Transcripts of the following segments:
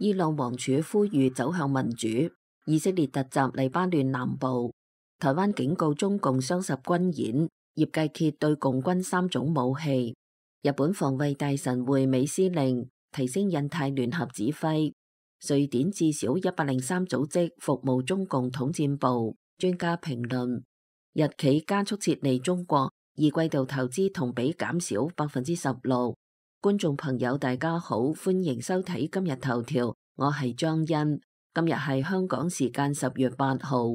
伊朗王儲呼籲走向民主。以色列突襲黎巴嫩南部。台灣警告中共雙十軍演。葉繼揭對共軍3種武器。日本防衛大臣會美司令提升印太聯合指揮。瑞典至少103組織服務中共統戰部。專家評論：日企加速撤離中國，二季度投資同比減少16%。觀眾朋友大家好，歡迎收睇今日頭條，我係張欣。今日係香港時間10月8號。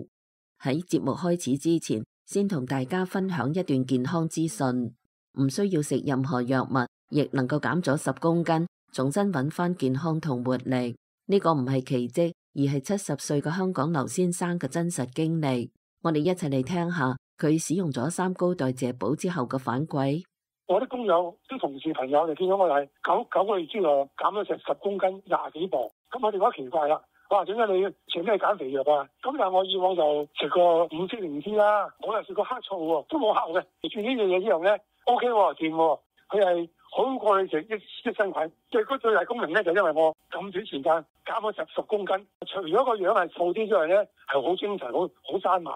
喺節目開始之前，先同大家分享一段健康資訊。唔需要食任何藥物，亦能夠減咗10公斤，重新揾翻健康同活力。呢個唔係奇蹟，而係70歲嘅香港劉先生嘅真實經歷。我哋一齊嚟聽下佢使用咗3高代謝寶之後嘅反饋。我啲工友、啲同事朋友就見到我係九個月之內減咗成10公斤，20幾磅。咁我哋覺得奇怪啦，哇！點解你食咩減肥藥啊？咁但係我以往就食過5色靈芝啦，我又食過黑醋喎，都冇效嘅。食住呢樣嘢之後咧 ，OK 喎，掂喎，佢係好過你食益生菌。最大功能咧就因為我咁短時間減咗10公斤，除咗個樣係瘦啲之外咧，係好精神，好生猛，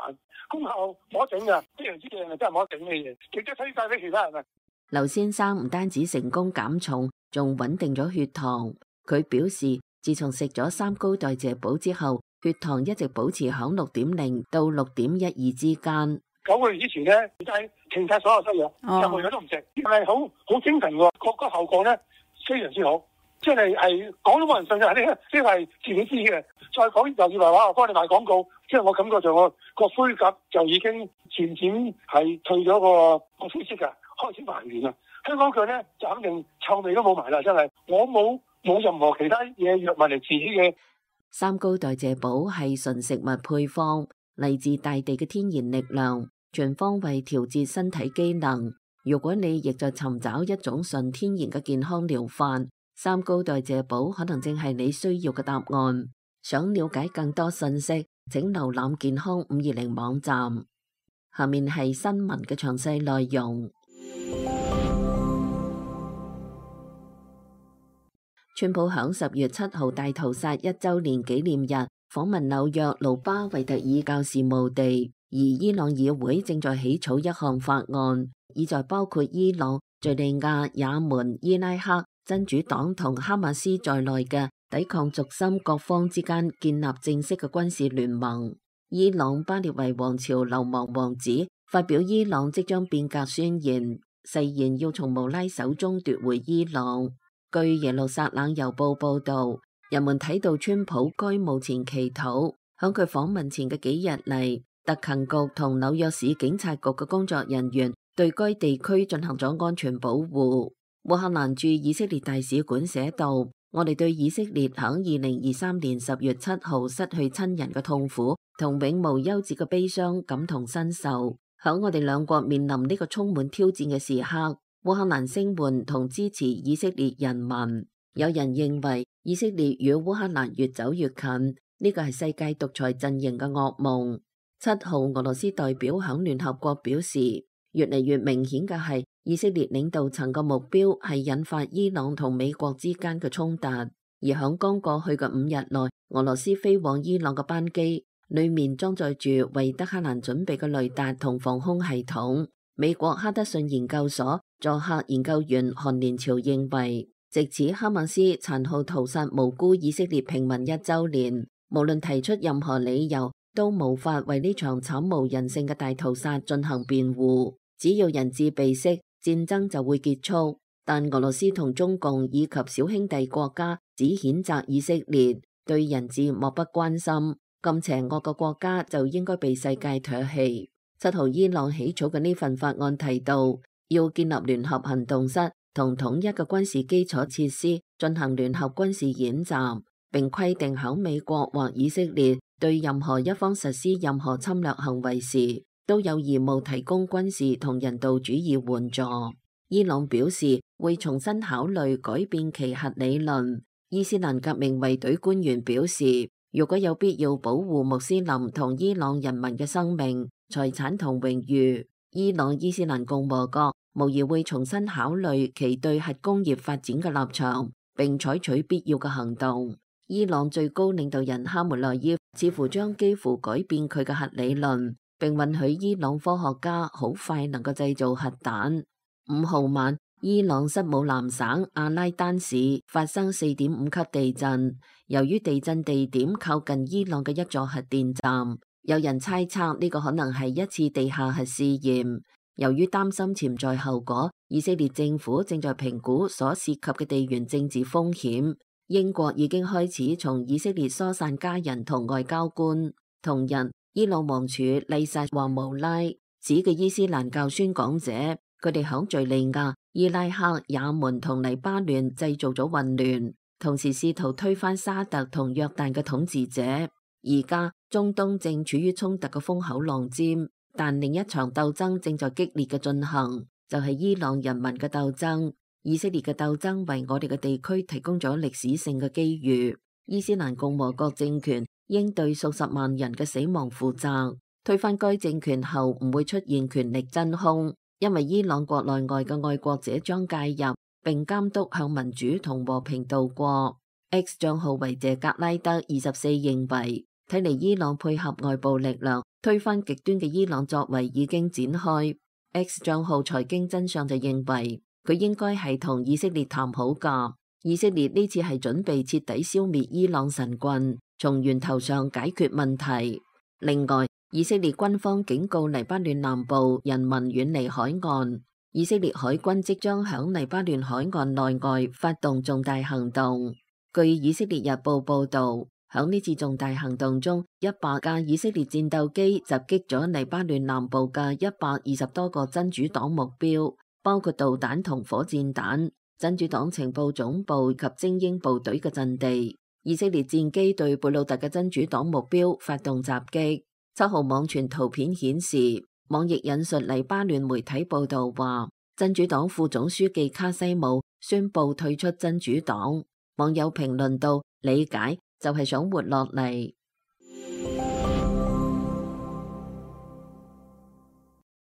功效冇得整㗎。呢樣嘢係真係冇得整嘅嘢，亦都推介俾其他人啊。劉先生唔單止成功減重，仲穩定咗血糖。佢表示，自從食咗3高代謝寶之後，血糖一直保持響6.0到6.12之間。9個月之前咧，就係停晒所有西藥，任何嘢都唔食，係好精神喎。個效果咧非常之好，即係講都冇人信嘅，呢啲係自己知嘅。再講又以為話我幫你賣廣告，即係我感覺上我個灰甲就已經漸漸係退咗個灰色㗎。開始還原啦！香港腳咧就肯定臭味都冇埋啦，真係我冇任何其他嘢藥物嚟治嘅。3高代謝寶係純食物配方，嚟自大地嘅天然力量，全方位調節身體機能。如果你亦在尋找一種純天然嘅健康療法，3高代謝寶可能正係你需要嘅答案。想了解更多信息，請瀏覽健康520網站。下面係新聞嘅詳細內容。川普響10月7號大屠殺1週年紀念日訪問紐約盧巴維特爾教事務地，而伊朗議會正在起草一項法案，意在包括伊朗、敘利亞、也門、伊拉克、真主黨同哈馬斯在內嘅抵抗軸心各方之間建立正式嘅軍事聯盟。伊朗巴列維王朝流亡王子發表伊朗即將變革宣言，誓言要從穆拉手中奪回伊朗。據耶路撒冷郵報報道，人們睇到川普該墓前祈禱。響佢訪問前嘅幾日嚟，特勤局同紐約市警察局嘅工作人員對該地區進行咗安全保護。烏克蘭駐以色列大使館寫道：我哋對以色列響2023年10月7號失去親人嘅痛苦同永無休止嘅悲傷感同身受。響我哋兩國面臨呢個充滿挑戰嘅時刻，烏克蘭聲援同支持以色列人民。有人認為以色列與烏克蘭越走越近，呢個係世界獨裁陣營嘅噩夢。7號俄羅斯代表響聯合國表示，越嚟越明顯嘅係以色列領導層嘅目標係引發伊朗同美國之間嘅衝突。而響剛過去嘅5日內，俄羅斯飛往伊朗嘅班機裏面裝載住為德黑蘭準備嘅雷達同防空系統。美國哈德遜研究所助客研究員韓連朝認為，藉此哈馬斯殘酷屠殺無辜以色列平民1週年，無論提出任何理由，都無法為呢場慘無人性嘅大屠殺進行辯護。只要人質被釋，戰爭就會結束。但俄羅斯同中共以及小兄弟國家只譴責以色列，對人質漠不關心。咁邪惡嘅國家就應該被世界唾棄。7號伊朗起草嘅呢份法案提到，要建立聯合行動室同統一嘅軍事基礎設施，進行聯合軍事演習，並規定響美國或以色列對任何一方實施任何侵略行為時，都有義務提供軍事同人道主義援助。伊朗表示會重新考慮改變其核理論。伊斯蘭革命衛隊官員表示，如果有必要保護穆斯林同伊朗人民嘅生命、財產同榮譽，伊朗伊斯蘭共和國無疑會重新考慮其對核工業發展嘅立場，並採取必要嘅行動。伊朗最高領導人哈梅內伊似乎將幾乎改變佢嘅核理論，並允許伊朗科學家好快能夠製造核彈。5號晚，伊朗塞姆南省阿拉丹市發生4.5級地震，由於地震地點靠近伊朗嘅一座核電站，有人猜測呢個可能係一次地下核試驗。由於擔心潛在後果，以色列政府正在評估所涉及嘅地緣政治風險。英國已經開始從以色列疏散家人同外交官。同日，伊朗王儲麗薩話無拉指嘅伊斯蘭教宣講者，佢哋響敘利亞、伊拉克、也門同黎巴嫩製造咗混亂，同時試圖推翻沙特同約旦嘅統治者。而家中東正處於衝突嘅風口浪尖，但另一場鬥爭正在激烈嘅進行，就係伊朗人民嘅鬥爭。以色列嘅鬥爭為我哋嘅地區提供咗歷史性嘅機遇。伊斯蘭共和國政權應對數十萬人嘅死亡負責。推翻該政權後唔會出現權力真空，因為伊朗國內外嘅愛國者將介入並監督向民主同和平度過。X 賬號維謝格拉德24認為，睇嚟伊朗配合外部力量推翻極端嘅伊朗作為已經展開。X 賬號財經真相就認為，佢應該係同以色列談好㗎。以色列呢次係準備徹底消滅伊朗神棍，從源頭上解決問題。另外，以色列軍方警告黎巴嫩南部人民遠離海岸。以色列海軍即將響黎巴嫩海岸內外發動重大行動。據以色列日報報導，響呢次重大行動中，100架以色列戰鬥機襲擊咗黎巴嫩南部嘅120多個真主黨目標，包括導彈同火箭彈、真主黨情報總部及精英部隊嘅陣地。以色列戰機對貝魯特嘅真主黨目標發動襲擊。7號網傳圖片顯示，網易引述黎巴嫩媒體報道話，真主黨副總書記卡西姆宣布退出真主黨。網友評論道：理解就係想活落嚟。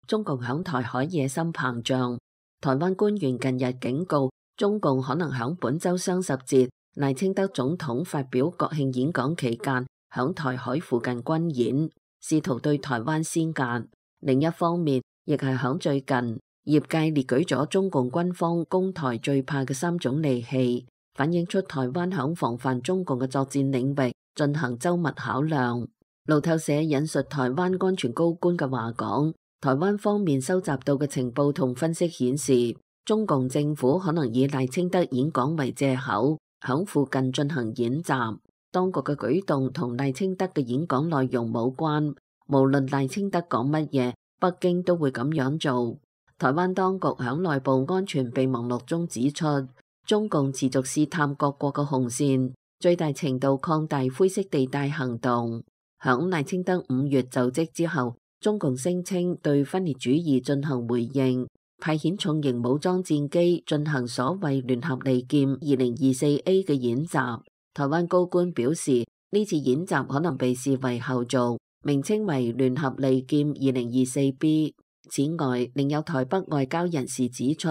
中共響台海野心膨脹。台灣官員近日警告，中共可能響本週雙十節賴清德總統發表國慶演講期間，響台海附近軍演，試圖對台灣施壓。另一方面，亦係響最近，業界列舉咗中共軍方攻台最怕嘅3種利器，反映出台灣響防範中共嘅作戰領域進行周密考量。路透社引述台灣安全高官嘅話講，台灣方面收集到嘅情報同分析顯示，中共政府可能以賴清德演講為借口，響附近進行演習。當局嘅舉動同賴清德嘅演講內容冇關，無論賴清德講乜嘢，北京都會咁樣做。台灣當局響內部安全備忘錄中指出，中共持續試探各國嘅紅線，最大程度擴大灰色地帶行動。響賴清德5月就職之後，中共聲稱對分裂主義進行回應，派遣重型武裝戰機進行所謂聯合利劍 2024A 嘅演習。台灣高官表示，呢次演習可能被視為後續，名稱為聯合利劍 2024B。此外，另有台北外交人士指出，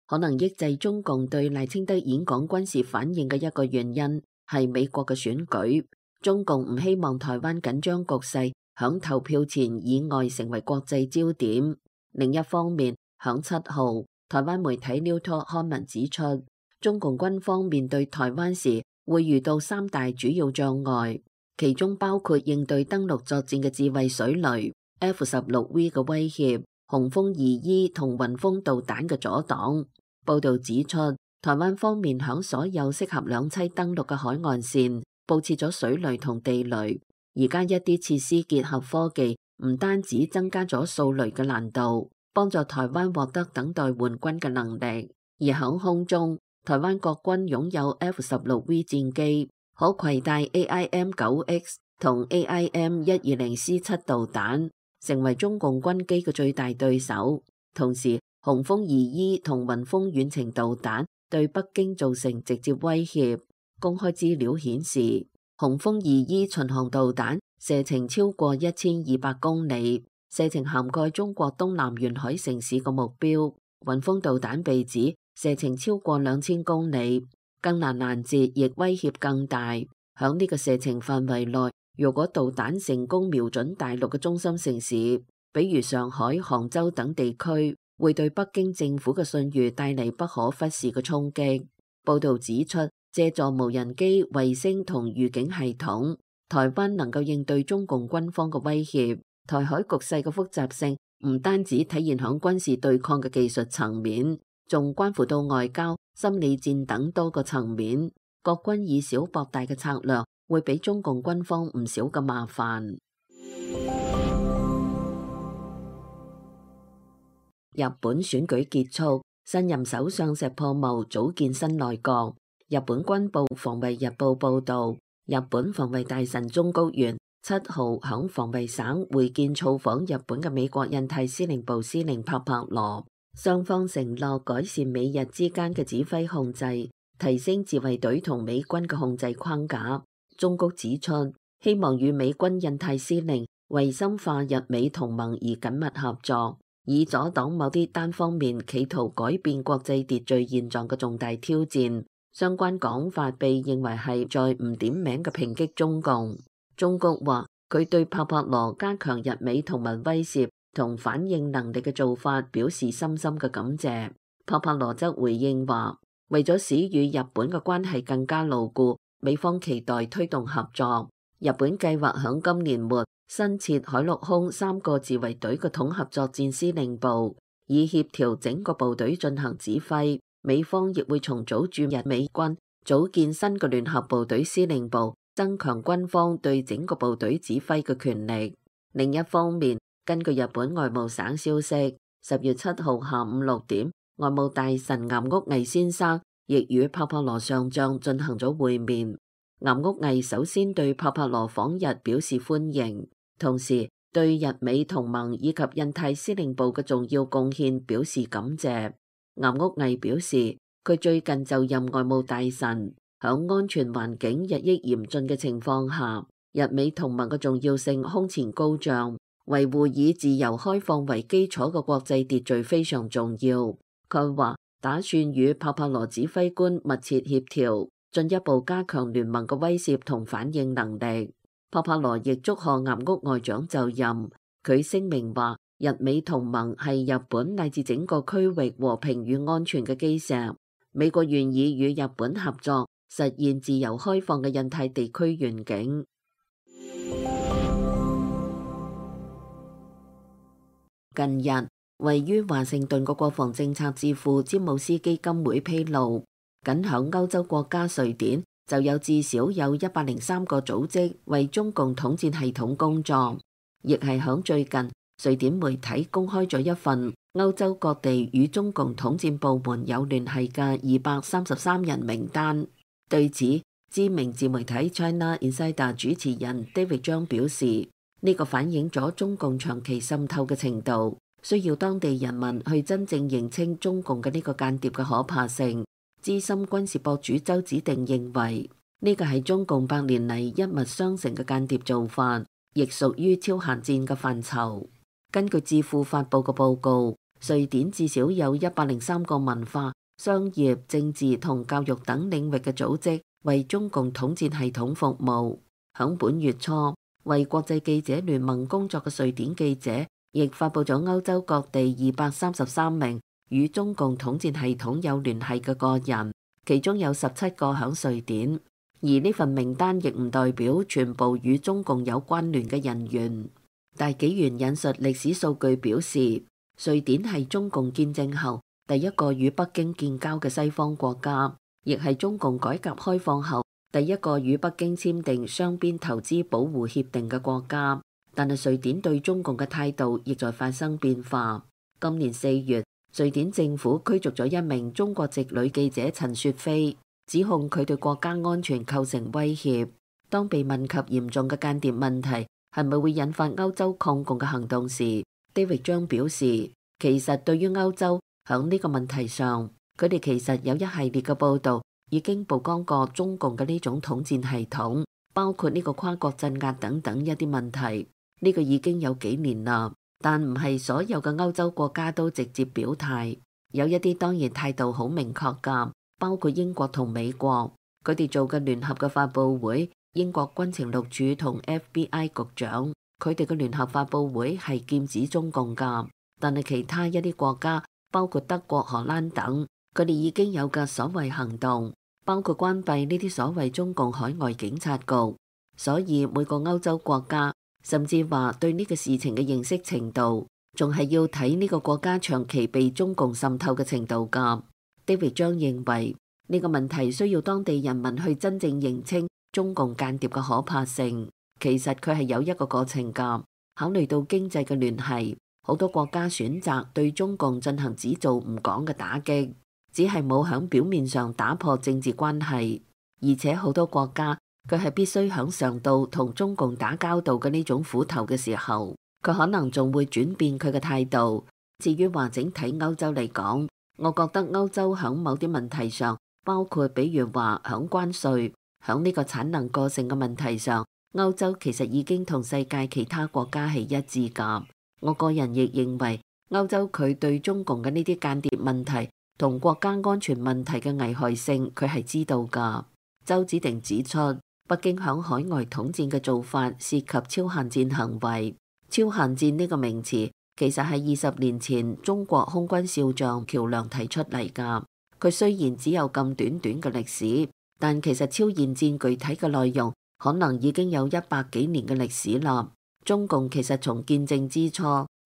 可能抑制中共對賴清德演講軍事反應嘅一個原因係美國嘅選舉。中共唔希望台灣緊張局勢響投票前以外成為國際焦點。另一方面，響7號，台灣媒體 New Talk 刊文指出，中共軍方面對台灣時會遇到3大主要障礙，其中包括應對登陸作戰嘅自衛水雷、F-16V 嘅威脅、雄風2E 同雲峰導彈嘅阻擋。報導指出，台灣方面響所有適合兩棲登陸嘅海岸線佈設咗水雷同地雷。而家一啲設施結合科技，唔單止增加咗掃雷嘅難度，幫助台灣獲得等待援軍嘅能力。而響空中，台灣國軍擁有 F-16V 戰機，可攜帶 AIM-9X 同 AIM-120C7 導彈，成為中共軍機嘅最大對手。同時，雄風2E 同雲峰遠程導彈對北京造成直接威脅。公開資料顯示，雄風2E 巡航導彈射程超過1200公里，射程涵蓋中國東南沿海城市嘅目標。雲峰導彈被指射程超過2000公里，更難攔截，亦威脅更大。響呢個射程範圍內，如果導彈成功瞄準大陸嘅中心城市，比如上海、杭州等地區，會對北京政府嘅信譽帶嚟不可忽視嘅衝擊。報道指出，借助無人機、衛星同預警系統，台灣能夠應對中共軍方嘅威脅。台海局勢嘅複雜性唔單止體現響軍事對抗嘅技術層面，仲關乎到外交、心理戰等多個層面。國軍以小博大嘅策略，會俾中共軍方唔少嘅麻煩。日本選舉結束，新任首相石破茂組建新內閣。日本軍部防衛日報報道，日本防衛大臣中谷元7號響防衛省會見造訪日本嘅美國印太司令部司令帕帕羅，雙方承諾改善美日之間嘅指揮控制，提升自衛隊同美軍嘅控制框架。中谷指出，希望與美軍印太司令為深化日美同盟而緊密合作，以阻擋某啲單方面企圖改變國際秩序現狀嘅重大挑戰。相關講法被認為係在唔點名嘅抨擊中共。中谷話，佢對帕帕羅加強日美同盟威懾同反應能力嘅做法表示深深嘅感謝。帕帕羅則回應話，為咗使與日本嘅關係更加牢固，美方期待推動合作。日本計劃響今年末新設海陸空3個自衛隊嘅統合作戰司令部，以協調整個部隊進行指揮。美方亦會重組駐日美軍，組建新嘅聯合部隊司令部，增強軍方對整個部隊指揮嘅權力。另一方面，根據日本外務省消息，10月7號下午6點，外務大臣岩屋毅先生亦與帕帕羅上將進行咗會面。岩屋毅首先對帕帕羅訪日表示歡迎，同時對日美同盟以及印太司令部嘅重要貢獻表示感謝。岩屋毅表示，佢最近就任外務大臣，響安全環境日益嚴峻嘅情況下，日美同盟嘅重要性空前高漲，維護以自由開放為基礎嘅國際秩序非常重要。佢話打算與帕帕羅指揮官密切協調，進一步加強聯盟嘅威懾同反應能力。帕帕羅亦祝賀岩屋外長就任，佢聲明話，日美同盟係日本乃至整個區域和平與安全嘅基石。美國願意與日本合作，實現自由開放嘅印太地區願景。近日，位於華盛頓嘅國防政策智庫詹姆斯基金會披露，僅響歐洲國家瑞典就有至少有103個組織為中共統戰系統工作，亦係響最近。瑞典媒體公開咗一份歐洲各地與中共統戰部門有聯繫嘅233人名單。對此，知名自媒體 China Insider 主持人 David 張表示，呢個反映咗中共長期滲透嘅程度，需要當地人民去真正認清中共嘅呢個間諜嘅可怕性。資深軍事博主周子定認為，呢個係中共100年嚟一脈相承嘅間諜做法，亦屬於超限戰嘅範疇。根據智庫發佈嘅報告，瑞典至少有103個文化、商業、政治同教育等領域嘅組織為中共統戰系統服務。響本月初，為國際記者聯盟工作嘅瑞典記者亦發佈咗歐洲各地233名與中共統戰系統有聯繫嘅個人，其中有17個響瑞典。而呢份名單亦唔代表全部與中共有關聯嘅人員。大紀元引述歷史數據表示，瑞典係中共建政後第一個與北京建交嘅西方國家，亦係中共改革開放後第一個與北京簽訂雙邊投資保護協定嘅國家。但係瑞典對中共嘅態度亦在發生變化。今年4月，瑞典政府驅逐咗一名中國籍女記者陳雪飛，指控佢對國家安全構成威脅。當被問及嚴重嘅間諜問題係咪會引發歐洲抗共嘅行動時，David 張表示，其實對於歐洲響呢個問題上，佢哋其實有一系列嘅報導已經曝光過中共嘅呢種統戰系統，包括呢個跨國鎮壓等等一啲問題。呢個已經有幾年啦，但唔係所有嘅歐洲國家都直接表態，有一啲當然態度好明確㗎，包括英國同美國，佢哋做嘅聯合嘅發佈會英國軍情六處同 FBI 局長，佢哋嘅聯合發佈會係劍指中共㗎，但係其他一啲國家，包括德國、荷蘭等，佢哋已經有嘅所謂行動，包括關閉呢啲所謂中共海外警察局。所以每個歐洲國家，甚至話對呢個事情嘅認識程度，仲係要睇呢個國家長期被中共滲透嘅程度㗎。David 張認為呢個問題需要當地人民去真正認清中共間諜嘅可怕性。其實佢係有一個過程㗎。考慮到經濟嘅聯繫，好多國家選擇對中共進行只做唔講嘅打擊，只係冇響表面上打破政治關係。而且好多國家佢係必須響嘗到同中共打交道嘅呢種苦頭嘅時候，佢可能仲會轉變佢嘅態度。至於話整體歐洲嚟講，我覺得歐洲響某啲問題上，包括比如話響關稅、響呢個產能過剩嘅問題上，歐洲其實已經同世界其他國家係一致㗎。我個人亦認為歐洲佢對中共嘅呢啲間諜問題同國家安全問題嘅危害性，佢係知道㗎。周子定指出，北京響海外統戰嘅做法涉及超限戰行為。超限戰呢個名詞其實係20年前中國空軍少將喬梁提出嚟㗎。佢雖然只有咁短短嘅歷史，但其實超限戰具體嘅內容可能已經有100幾年嘅歷史啦。中共其實從建政之初，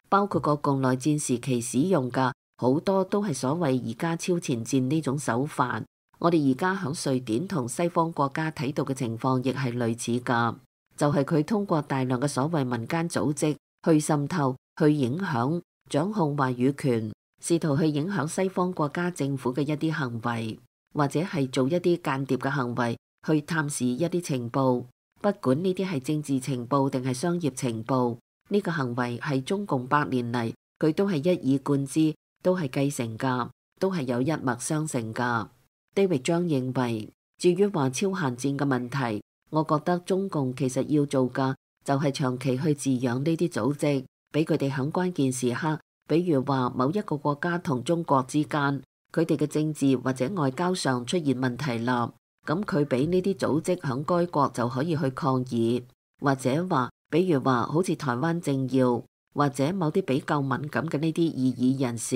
包括國共內戰時期使用嘅好多都係所謂而家超前戰呢種手法。我哋而家響瑞典同西方國家睇到嘅情況亦係類似㗎，就係佢通過大量嘅所謂民間組織去滲透、去影響、掌控話語權，試圖去影響西方國家政府嘅一啲行為，或者係做一啲間諜嘅行為，去探視一啲情報。不管呢啲係政治情報定係商業情報，呢個行為係中共100年嚟佢都係一以貫之，都係繼承㗎，都係有一脈相承㗎。David 張認為，至於話超限戰嘅問題，我覺得中共其實要做嘅就係長期去飼養呢啲組織，俾佢哋喺關鍵時刻，比如話某一個國家同中國之間，佢哋嘅政治或者外交上出現問題啦，咁佢俾呢啲組織喺該國就可以去抗議，或者話比如話好似台灣政要或者某啲比較敏感嘅呢啲異議人士，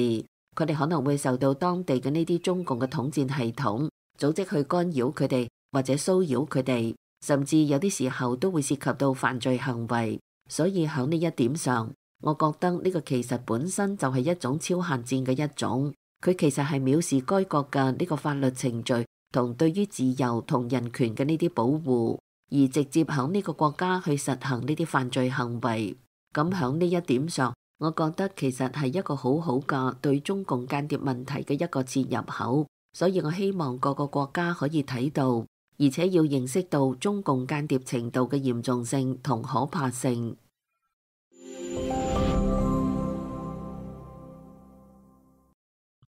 佢哋可能會受到當地嘅呢啲中共嘅統戰系統組織去干擾佢哋或者騷擾佢哋，甚至有啲時候都會涉及到犯罪行為。所以喺呢一點上，我覺得呢個其實本身就係一種超限戰嘅一種，佢其實係藐視該國嘅呢個法律程序同對於自由同人權嘅呢啲保護，而直接喺呢個國家去實行呢啲犯罪行為。咁喺呢一點上，我覺得其實係一個好好嘅對中共間諜問題嘅一個切入口，所以我希望各個國家可以睇到，而且要認識到中共間諜程度嘅嚴重性同可怕性。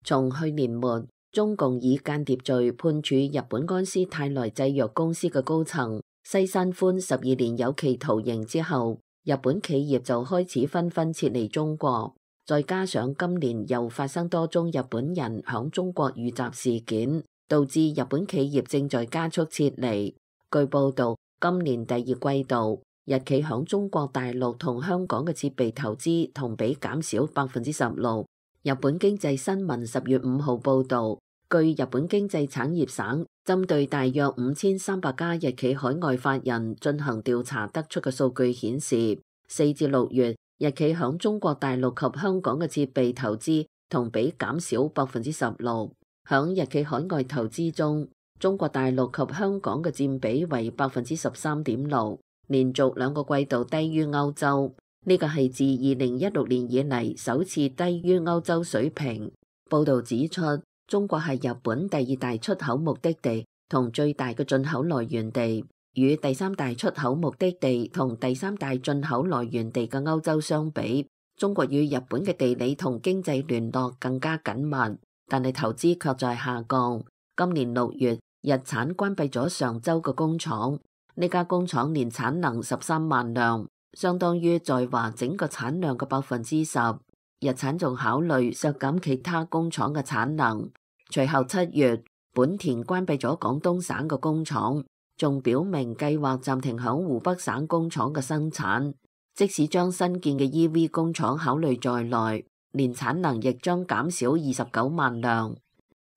從去年末，中共以間諜罪判處日本安斯泰來製藥公司嘅高層西山寬12年有期徒刑之後，日本企業就開始紛紛撤離中國，再加上今年又發生多宗日本人響中國遇襲事件，導致日本企業正在加速撤離。據報道，今年第2季度，日企響中國大陸同香港嘅設備投資同比減少16%。日本經濟新聞10月5號報導，據日本經濟產業省針對大約5300家日企海外法人進行調查得出嘅數據顯示，4至6月日企響中國大陸及香港嘅設備投資同比減少16%。響日企海外投資中，中國大陸及香港嘅佔比為13.6%，連續2個季度低於歐洲。呢個係自2016年以嚟首次低於歐洲水平。報導指出，中國係日本第2大出口目的地同最大嘅進口來源地，與第3大出口目的地同第3大進口來源地嘅歐洲相比，中國與日本嘅地理同經濟聯絡更加緊密，但係投資卻在下降。今年6月，日產關閉咗上州嘅工廠，呢家工廠年產能13萬輛。相當於在華整個產量嘅10%。日產仲考慮削減其他工廠嘅產能。隨後7月，本田關閉咗廣東省嘅工廠，仲表明計劃暫停響湖北省工廠嘅生產，即使將新建嘅 EV 工廠考慮在內，年產能亦將減少29萬輛。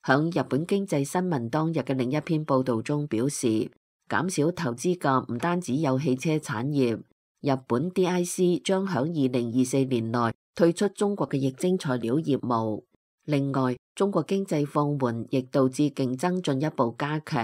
響日本經濟新聞當日嘅另一篇報道中表示，減少投資嘅唔單止有汽車產業，日本 DIC 將響2024年內退出中國嘅液晶材料業務。另外，中國經濟放緩亦導致競爭進一步加劇。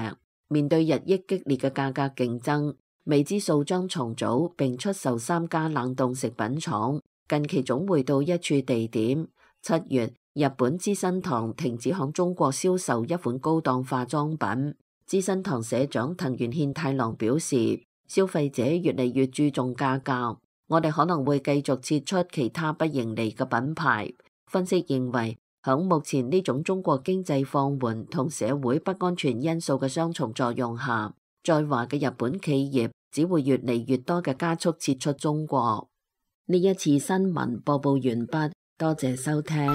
面對日益激烈嘅價格競爭，未知數將重組並出售3家冷凍食品廠，近期總會到一處地點。7月，日本資生堂停止向中國銷售一款高檔化妝品。資生堂社長藤原憲太郎表示，消費者越嚟越注重價格，我哋可能會繼續撤出其他不盈利嘅品牌。分析認為，響目前呢種中國經濟放緩同社會不安全因素嘅雙重作用下，在華嘅日本企業只會越嚟越多嘅加速撤出中國。呢一次新聞播報完畢，多謝收聽。